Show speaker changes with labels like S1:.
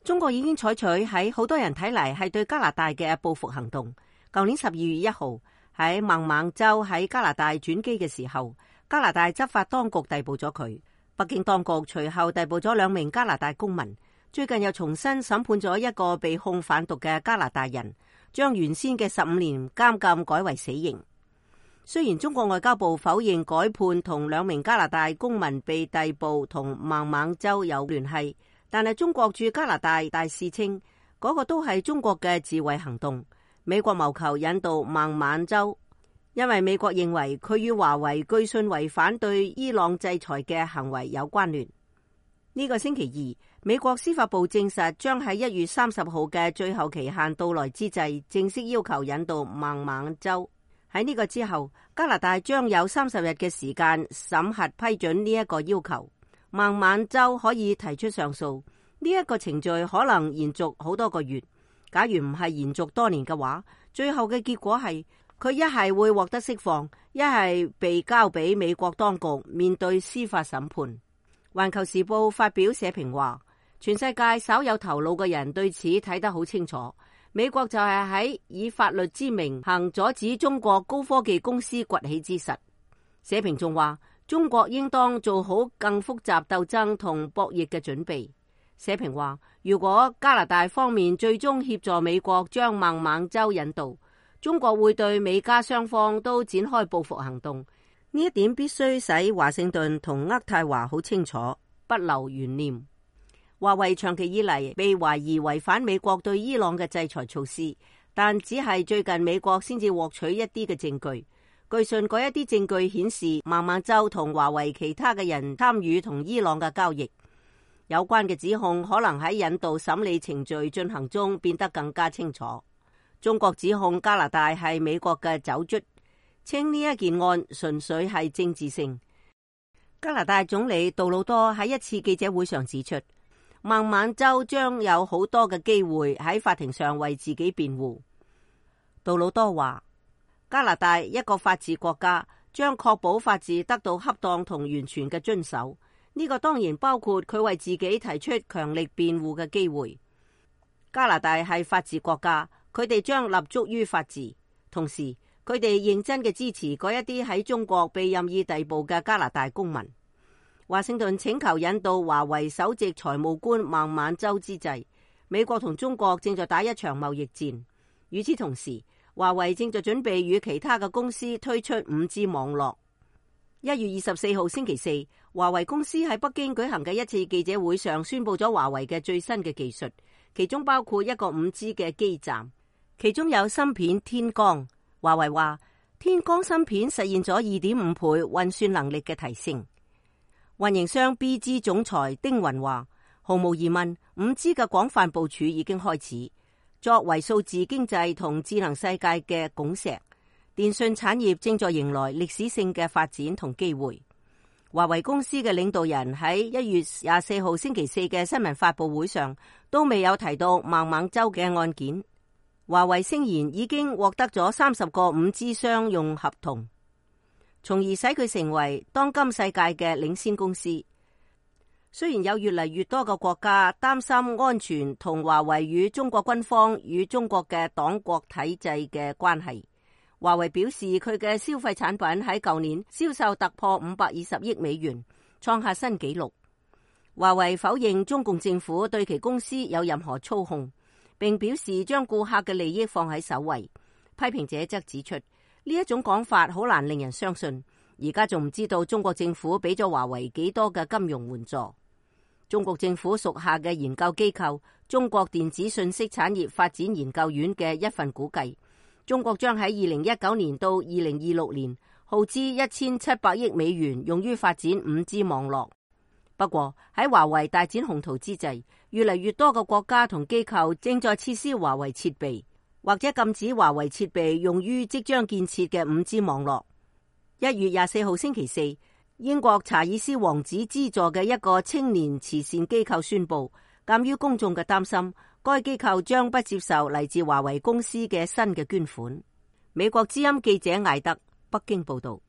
S1: 中國已經採取喺好多人睇嚟係對加拿大嘅報復行動。舊年12月1號喺孟晚舟喺加拿大轉機嘅時候，加拿大執法當局逮捕咗佢。北京當局隨後逮捕咗2名加拿大公民。最近又重新審判咗一個被控販毒嘅加拿大人，將原先嘅15年監禁改為死刑。雖然中國外交部否認改判同2名加拿大公民被逮捕同孟晚舟有聯繫，但係中國駐加拿大大使稱嗰個都係中國嘅自衛行動。美國謀求引渡孟晚舟，因為美國認為佢與華為據信違反對伊朗制裁嘅行為有關聯。呢個星期二，美國司法部證實將喺1月30號嘅最後期限到來之際，正式要求引渡孟晚舟。喺呢個之後，加拿大將有30日嘅時間審核批准呢一個要求。孟晚舟可以提出上訴，呢一個程序可能延續好多個月。假如唔係延續多年嘅話，最後嘅結果係佢一係會獲得釋放，一係被交俾美國當局面對司法審判。環球時報發表社評話，全世界稍有頭腦嘅人對此睇得好清楚。美國就係喺以法律之名行阻止中國高科技公司崛起之實。社評仲話，中國應當做好更複雜鬥爭同博弈嘅準備。社評話，如果加拿大方面最終協助美國將孟晚舟引渡，中國會對美加雙方都展開報復行動。呢一點必須使華盛頓同渥太華好清楚，不留懸念。華為長期以嚟被懷疑違反美國對伊朗嘅制裁措施，但只係最近美國先至獲取一啲嘅證據。據信嗰一啲證據顯示孟晚舟同華為其他嘅人參與同伊朗嘅交易。有關嘅指控可能喺引渡審理程序進行中變得更加清楚。中國指控加拿大係美國嘅走卒，稱呢一件案純粹係政治性。加拿大總理杜魯多喺一次記者會上指出，孟晚舟將有好多嘅機會喺法庭上為自己辯護。杜魯多話，加拿大一個法治國家將確保法治得到恰當同完全嘅遵守，呢個當然包括佢為自己提出強力辯護嘅機會。加拿大係法治國家，佢哋將立足於法治，同時佢哋認真嘅支持嗰一啲喺中國被任意逮捕嘅加拿大公民。華盛頓請求引渡華為首席財務官孟晚舟之際，美國同中國正在打一場貿易戰。與此同時，華為正在準備與其他嘅公司推出 5G 網絡。1月24號星期四，華為公司喺北京舉行嘅一次記者會上宣布咗華為嘅最新嘅技術，其中包括一個 5G 嘅基站，其中有芯片天光。華為話，天光芯片實現咗 2.5 倍運算能力嘅提升。運營商 BG 總裁丁雲話，毫無疑問 5G 嘅廣泛部署已經開始。作為數字經濟同智能世界嘅拱石，電信產業正在迎來歷史性嘅發展同機會。華為公司嘅領導人喺1月24號星期四嘅新聞發佈會上都未有提到孟晚舟嘅案件。華為聲言已經獲得咗30個 5G 商用合同，從而使佢成為當今世界嘅領先公司。雖然有越嚟越多嘅國家擔心安全同華為與中國軍方與中國嘅黨國體制嘅關係，華為表示佢嘅消費產品喺舊年銷售突破520億美元，創下新紀錄。華為否認中共政府對其公司有任何操控，並表示將顧客嘅利益放喺首位。批評者則指出，呢一種講法好難令人相信，而家仲唔知道中國政府俾咗華為幾多嘅金融援助。中國政府屬下嘅研究機構中國電子信息產業發展研究院嘅一份估計，中國將喺2019年到2026年耗資1700億美元用於發展 5G 網絡。不過喺華為大展宏圖之際，越嚟越多嘅國家同機構正在撤銷華為設備，或者禁止華為設備用於即將建設嘅 5G 網絡。1月24號星期四，英國查爾斯王子資助嘅一個青年慈善機構宣布，鑒於公眾嘅擔心，該機構將不接受嚟自華為公司嘅新嘅捐款。美國之音記者艾德北京報道。